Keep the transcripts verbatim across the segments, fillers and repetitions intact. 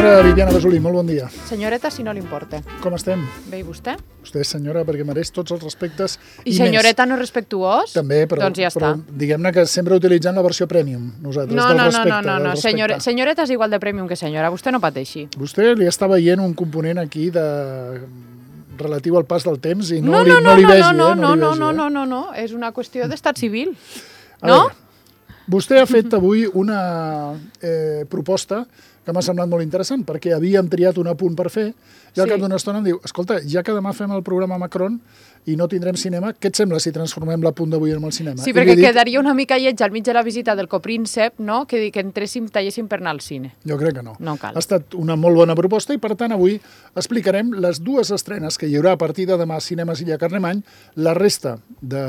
Senyora Viviana Basolí, molt bon dia. Senyoreta, si no li importa. Com estem? Bé, i vostè? Vostè és senyora perquè mereix tots els respectes i, I senyoreta més. No respectuós? També, però, doncs ja però diguem-ne que sempre utilitzant la versió premium, nosaltres, no, del no, respecte. No, no, no, no. Senyor, respecte. senyoreta és igual de premium que senyora, vostè no pateixi. Vostè li està veient un component aquí de... relatiu al pas del temps i no, no, li, no, no, no li vegi, no, no, eh? No, no, no, vegi, no, eh? no, no, no, és una qüestió d'estat civil. A no? Veure, vostè ha fet avui una eh, proposta que m'ha semblat molt interessant, perquè havíem triat un apunt per fer, i al sí. cap d'una estona em diu, escolta, ja que demà fem el programa Macron i no tindrem cinema, què et sembla si transformem l'apunt d'avui en el cinema? Sí, perquè dit... quedaria una mica lleig al mig de la visita del copríncep, no?, que, que entréssim, talléssim per anar al cine. Jo crec que no. No cal. Ha estat una molt bona proposta i, per tant, avui explicarem les dues estrenes que hi haurà a partir de demà a Cinemes Illa Carlemany, la resta de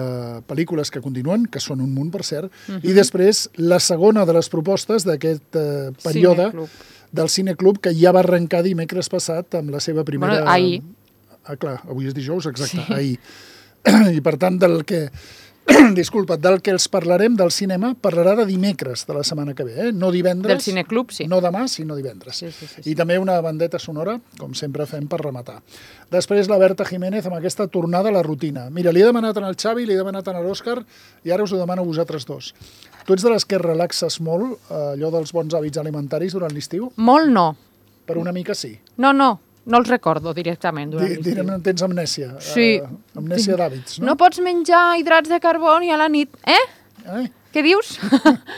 pel·lícules que continuen, que són un munt, per cert, uh-huh. i després la segona de les propostes d'aquest eh, període Cineclub. del Cineclub, que ja va arrencar dimecres passat amb la seva primera... Bueno, ahir. Ah, clar, avui és dijous, exacte, sí. ahir. I, per tant, del que... Disculpa, del que els parlarem del cinema parlarà de dimecres de la setmana que ve, eh? No divendres. Del Cineclub, sí. No demà, sinó divendres. Sí, sí, sí, sí. I també una bandeta sonora, com sempre fem per rematar. Després la Berta Jiménez amb aquesta tornada a la rutina. Mira, li he demanat al Xavi, li he demanat a l'Òscar i ara us ho demano a vosaltres dos. Tu ets de les que relaxes molt, allò dels bons hàbits alimentaris durant l'estiu? Molt no. Per una mica sí. No, no. No els recordo directament durant l'estiu. Direm, tens amnèsia. Sí. Uh, amnèsia d'hàbits, no? No pots menjar hidrats de carboni a la nit. Eh? Eh? Què dius?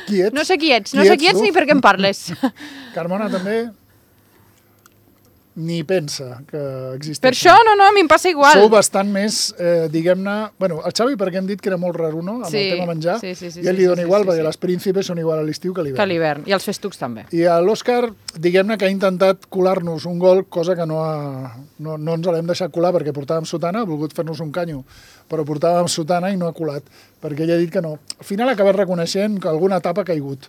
Qui ets? No sé qui ets. Qui no sé ets, qui ets tu? ni per què em parles. Carmona també ni pensa que existeix. Per això, no, no, a mi em passa igual. Sou bastant més, eh, diguem-ne... Bueno, el Xavi, perquè hem dit que era molt raro, no?, amb sí, el tema menjar, sí, sí, sí, i ell li dona sí, igual, sí, perquè sí. les príncipes són igual a l'estiu que a l'hivern. Que a l'hivern, i els festucs també. I l'Òscar, diguem-ne que ha intentat colar-nos un gol, cosa que no, ha, no, no ens l'hem deixat colar perquè portàvem sotana, ha volgut fer-nos un canyo, però portàvem sotana i no ha colat, perquè ell ha dit que no. Al final ha acabat reconeixent que alguna etapa ha caigut.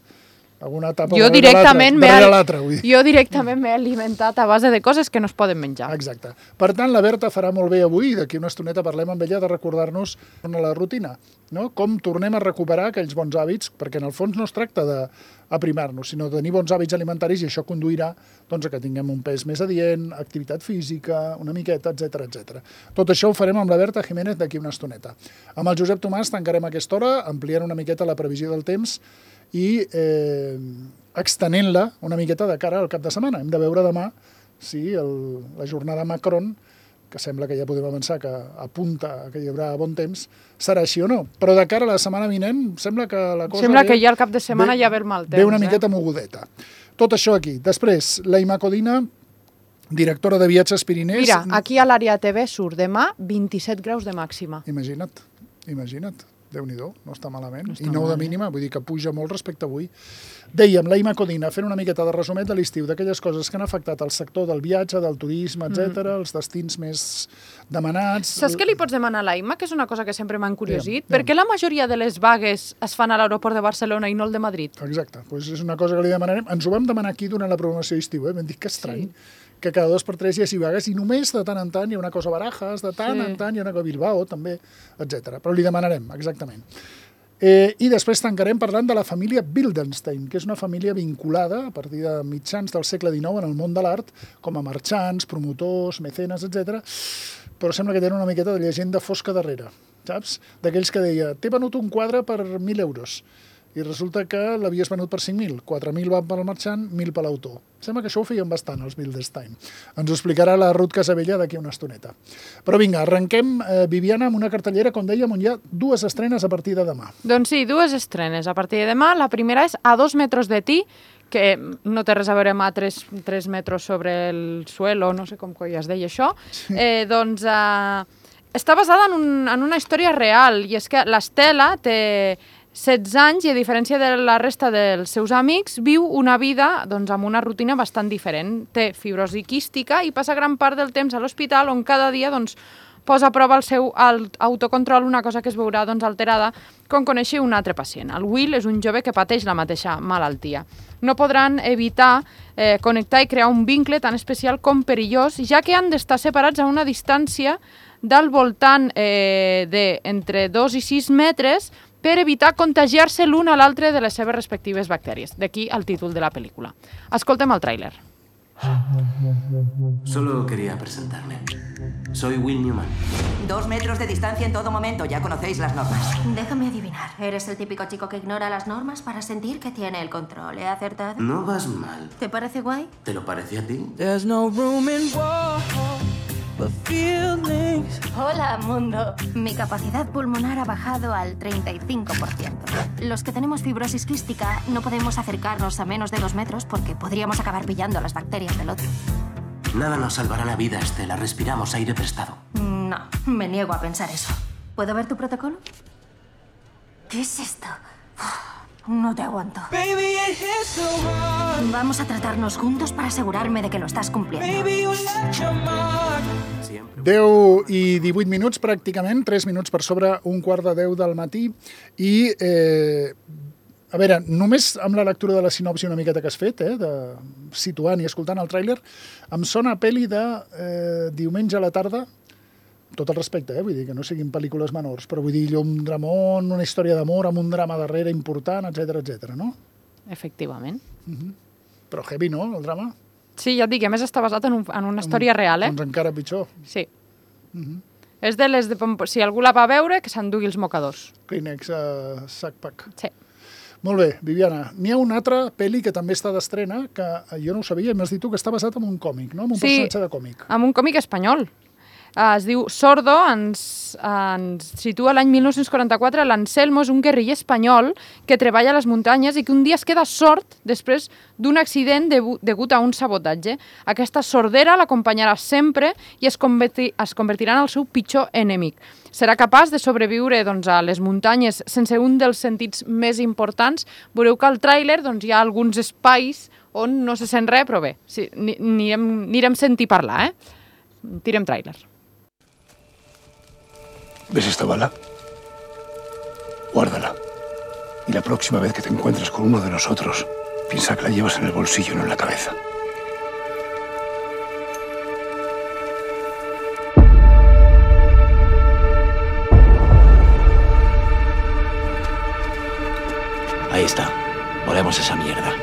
Alguna etapa jo darrere directament l'altra. Jo directament m'he alimentat a base de coses que no es poden menjar. Exacte. Per tant, la Berta farà molt bé avui, d'aquí una estoneta parlem amb ella de recordar-nos la rutina, no? Com tornem a recuperar aquells bons hàbits, perquè en el fons no es tracta d'aprimar-nos, sinó de tenir bons hàbits alimentaris i això conduirà doncs, a que tinguem un pes més adient, activitat física, una miqueta, etcètera, etcètera. Tot això ho farem amb la Berta Jiménez d'aquí una estoneta. Amb el Josep Tomàs tancarem aquesta hora, ampliant una miqueta la previsió del temps i eh, extenent-la una miqueta de cara al cap de setmana. Hem de veure demà si el, la jornada Macron, que sembla que ja podem avançar, que apunta que hi haurà bon temps, serà així o no. Però de cara a la setmana vinent, sembla que la cosa... Sembla ve, que ja al cap de setmana ve, ja ve el mal temps. Ve una miqueta eh? mogudeta. Tot això aquí. Després, la Ima Codina, directora de Viatges Pirinès... Mira, aquí a l'àrea T V surt demà vint-i-set graus de màxima. Imagina't, imagina't. Déu-n'hi-do, no està malament. No està I nou de mínima, vull dir que puja molt respecte a avui. Dèiem, la Ima Codina, fent una miqueta de resumet de l'estiu, d'aquelles coses que han afectat el sector del viatge, del turisme, etcètera, mm. els destins més demanats... Saps què li pots demanar a la Ima? Que és una cosa que sempre m'ha encuriosit. Yeah, per què la majoria de les vagues es fan a l'aeroport de Barcelona i no el de Madrid? Exacte, doncs és una cosa que li demanarem. Ens ho vam demanar aquí durant la programació d'estiu, eh? Vam dir que estrany. Sí. Que cada dos per tres hi hagi vagues i només de tant en tant hi ha una cosa a Barajas, de tant sí. en tant hi ha una cosa a Bilbao, també, etcètera. Però li demanarem, exactament. Eh, I després tancarem parlant de la família Wildenstein, que és una família vinculada a partir de mitjans del segle dinou en el món de l'art, com a marxants, promotors, mecenes, etcètera. Però sembla que tenen una miqueta de llegenda fosca darrere, saps? D'aquells que deia, t'he venut un quadre per mil euros. I resulta que l'havies venut per cinc mil. quatre mil van pel marxant, mil per l'autor. Sembla que això ho feien bastant, els Wildenstein. Ens ho explicarà la Ruth Casabella d'aquí una estoneta. Però vinga, arrenquem, eh, Viviana, amb una cartellera, com dèiem, on hi ha dues estrenes a partir de demà. Doncs sí, dues estrenes a partir de demà. La primera és A dos metros de ti, que no té res a veure amb a tres, tres metres sobre el suelo, no sé com coi es deia això. Sí. Eh, doncs eh, està basada en, un, en una història real, i és que l'Estela té setze anys i, a diferència de la resta dels seus amics, viu una vida doncs, amb una rutina bastant diferent. Té fibrosi quística i passa gran part del temps a l'hospital, on cada dia doncs, posa a prova el seu autocontrol, una cosa que es veurà doncs, alterada quan coneixi un altre pacient. El Will és un jove que pateix la mateixa malaltia. No podran evitar eh, connectar i crear un vincle tan especial com perillós, ja que han d'estar separats a una distància del voltant eh, de entre dos i sis metres per evitar contagiar-se l'un a l'altre de les seves respectives bactèries. D'aquí el títol de la pel·lícula. Escoltem el tràiler. Solo quería presentarme. Soy Will Newman. Dos metros de distancia en todo momento, ya conocéis las normas. Déjame adivinar, ¿eres el típico chico que ignora las normas para sentir que tiene el control? ¿He acertado? No vas mal. ¿Te parece guay? ¿Te lo parece a ti? There's no room in war for feelings. Hola, mundo. Mi capacidad pulmonar ha bajado al treinta y cinco por ciento. Los que tenemos fibrosis quística no podemos acercarnos a menos de dos metros porque podríamos acabar pillando las bacterias del otro. Nada nos salvará la vida, Estela. Respiramos aire prestado. No, me niego a pensar eso. ¿Puedo ver tu protocolo? ¿Qué es esto? No te aguanto. Baby, it hits so hard. Vamos a tratarnos juntos para asegurarme de que lo estás cumpliendo. Baby, you left your mark. Siempre. deu i divuit minuts, pràcticament, tres minuts per sobre un quart de deu del matí, i, eh, a veure, només amb la lectura de la sinopsi una miqueta que has fet, eh, de situant i escoltant el tràiler, em sona a pel·li de eh, diumenge a la tarda, tot el respecte, eh, vull dir que no siguin pel·lícules menors, però vull dir, allò, un dramón, una història d'amor amb un drama darrere important, etcètera, etcètera, no? Efectivament. Però heavy, no, el drama? Sí, ja et dic, a més està basat en, un, en una història real, eh? Doncs encara pitjor. Sí. És de les de... Si algú la va veure, que s'endugui els mocadors. Kleenex, uh, sac pack. Sí. Molt bé, Viviana. N'hi ha una altra pel·li que també està d'estrena, que jo no ho sabia, m'has dit tu que està basat en un còmic, no? En un Sí. personatge de còmic. Amb un còmic espanyol. Uh, es diu Sordo, ens, ens situa l'any mil nou-cents quaranta-quatre. L'Anselmo és un guerriller espanyol que treballa a les muntanyes i que un dia es queda sord després d'un accident debu degut a un sabotatge. Aquesta sordera l'acompanyarà sempre i es, converti es convertirà en el seu pitjor enemic. Serà capaç de sobreviure doncs, a les muntanyes sense un dels sentits més importants. Veureu que al tràiler doncs, hi ha alguns espais on no se sent res, però bé, sí, anirem, anirem sentir parlar, eh? Tirem tràiler. ¿Ves esta bala? Guárdala. Y la próxima vez que te encuentres con uno de nosotros, piensa que la llevas en el bolsillo, no en la cabeza. Ahí está. Volemos esa mierda.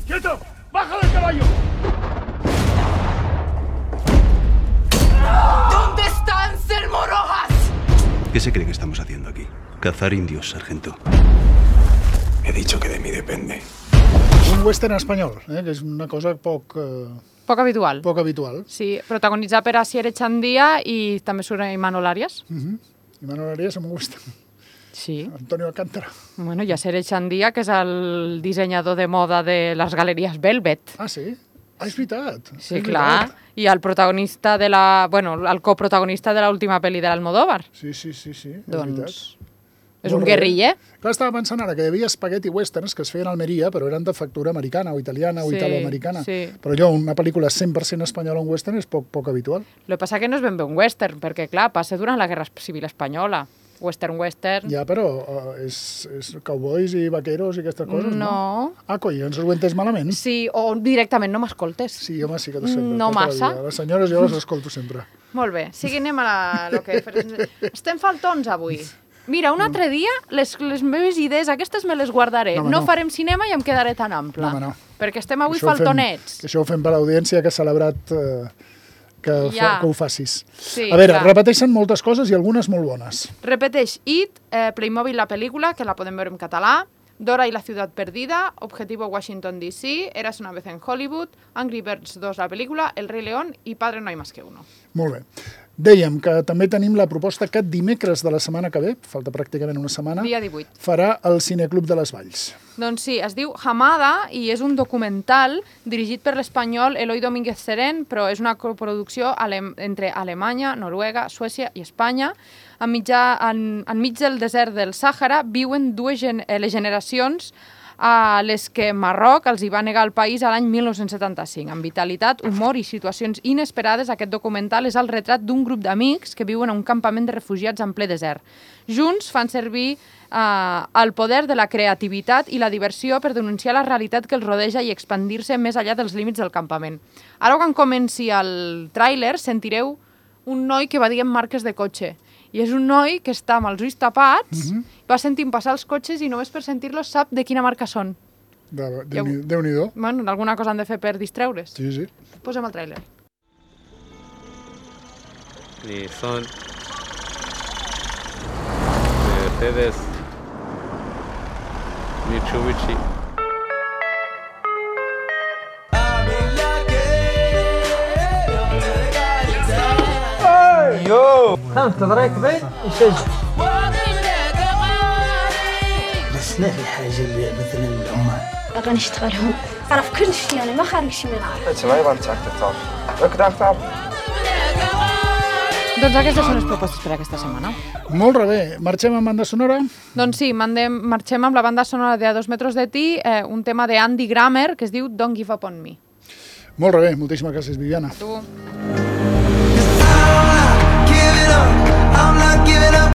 ¡Quieto! ¡Baja del caballo! ¿Dónde está Anselmo Rojas? ¿Qué se cree que estamos haciendo aquí? Cazar indios, sargento. He dicho que de mí depende. Un western espanyol, eh, que és una cosa poc, eh, Poc habitual. poc habitual. Sí, protagonitzat per Asier Echandía i també surt Imanol Arias. Mm. I Manuel Arias amb un western. Sí. Antonio Alcántara. Bueno, i Asier Echandía, que és el dissenyador de moda de les galeries Velvet. Ah, sí? Ah, és veritat. Sí, és clar. veritat. I el protagonista de la... Bueno, el coprotagonista de l'última pel·li de l'Almodóvar. Sí, sí, sí, sí, és Doncs veritat. és Molt un bé. guerriller. Clar, estava pensant ara que hi havia spaghetti westerns que es feien a Almeria, però eren de factura americana o italiana o Sí, italoamericana. sí. Però allò, una pel·lícula cent per cent espanyola en western és poc, poc habitual. El que passa que no és ben bé un western, perquè, clar, passa durant la Guerra Civil Espanyola. Western, western... Ja, però uh, és, és cowboys i vaqueros i aquestes coses, no? No. Ah, coi, ens ho entes malament? Sí, o directament no m'escoltes. Sí, home, sí que t'ho sempre. No tota la massa. vida. Les senyores jo les escolto sempre. Molt bé, sí, anem a la... Lo que... Estem faltons avui. Mira, un altre dia les, les meves idees aquestes me les guardaré. No, No, home, no no. farem cinema i em quedaré tan ample. No, home, no. Perquè estem avui Això ho fem- faltonets. Això ho fem per l'audiència que ha celebrat eh, que, Ja. fa, que ho facis. Sí, a veure, clar. repeteixen moltes coses i algunes molt bones. Repeteix It, eh, Playmobil la pel·lícula, que la podem veure en català, Dora y la ciudad perdida, Objetivo Washington D C, Eras una vez en Hollywood, Angry Birds dos la pel·lícula, El Rei León i Padre no hay más que uno. Molt bé. Dèiem que també tenim la proposta que dimecres de la setmana que ve, falta pràcticament una setmana, Dia divuit. farà el Cineclub de les Valls. Doncs sí, es diu Hamada i és un documental dirigit per l'espanyol Eloi Domínguez Seren, però és una coproducció ale entre Alemanya, Noruega, Suècia i Espanya. En mitjà, en, enmig del desert del Sàhara viuen dues gen eh, les generacions a les que Marroc els hi va negar el país a l'any mil nou-cents setanta-cinc. Amb vitalitat, humor i situacions inesperades, aquest documental és el retrat d'un grup d'amics que viuen a un campament de refugiats en ple desert. Junts fan servir eh, el poder de la creativitat i la diversió per denunciar la realitat que els rodeja i expandir-se més enllà dels límits del campament. Ara, quan comenci el tràiler, sentireu un noi que va dient marques de cotxe. I és un noi que està amb els ulls tapats, mm-hmm. va sentint passar els cotxes i només per sentir-los sap de quina marca són. De, Déu-n'hi- Déu-n'hi-do. Bueno, alguna cosa han de fer per distreure's. Sí, sí. Posem el tràiler. Nissan, Mercedes, Mitsubishi. يو خمسة راكبين يشجع بس ما في حاجة مثلا العمال أبغى نشتغل هون أعرف كل شيء أنا ما خارج شيء من عارف It's my one tactic top. Look at that. Doncs aquestes són les propostes per aquesta setmana. Molt bé. Marxem amb banda sonora? Doncs sí, mandem, marxem amb la banda sonora de A dos metres de ti, eh, un tema de Andy Grammer que es diu Don't Give Up on Me. Molt bé. Moltíssimes gràcies, Viviana. Tu. I'm not giving up.